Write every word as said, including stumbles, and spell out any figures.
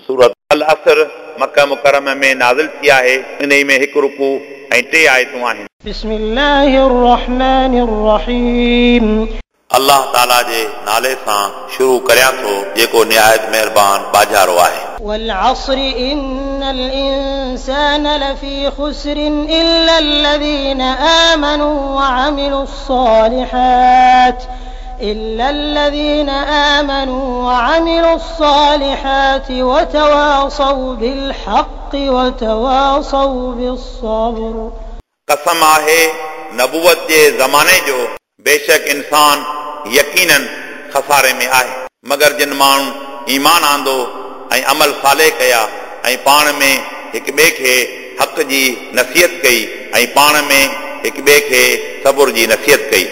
सूरत अल-असर मक्का मुकर्रमा में नाज़िल थी आहे। इन्हई में हिकु रुकू ऐं टे आयतूं आहिनि। بسم الله الرحمن الرحيم। अल्लाह ताला जे नाले सां शुरू करियां थो जेको निहायत महिरबान बाजारो आहे। والعصر إن الإنسان لفي خسر إلا الذين آمنوا وعملوا الصالحات إلا الذين آمنوا وعملوا الصالحات وتواصوا بالحق وتواصوا بالصبر। कसम आहे नबूवत जे ज़माने जो, बेशक इंसान यकीनन खसारे में आहे, मगर जिन माण्हुनि ईमान आंदो ऐं अमल साले कया ऐं पाण में हिक ॿिए खे हक़ जी नसीहत कई ऐं पाण में हिक ॿिए खे सबुर जी नसीहत कई।